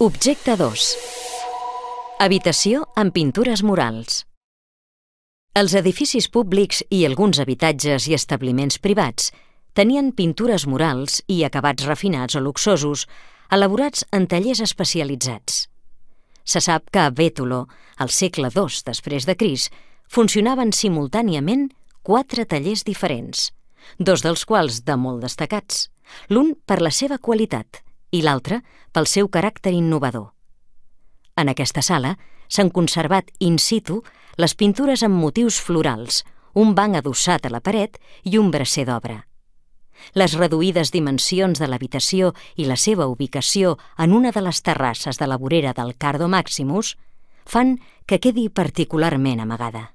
Objecte 2. Habitació amb pintures murals. Els edificis públics i alguns habitatges i establiments privats tenien pintures murals i acabats refinats o luxosos, elaborats en tallers especialitzats. Se sap que a Bétolo, al segle II després de Crist, funcionaven simultàniament 4 tallers diferents, 2 dels quals de molt destacats, l'un per la seva qualitat i l'altre pel seu caràcter innovador. En aquesta sala s'han conservat in situ les pintures amb motius florals, un banc adossat a la paret i un bracer d'obra. Les reduïdes dimensions de l'habitació i la seva ubicació en una de les terrasses de la vorera del Cardo Maximus fan que quedi particularment amagada.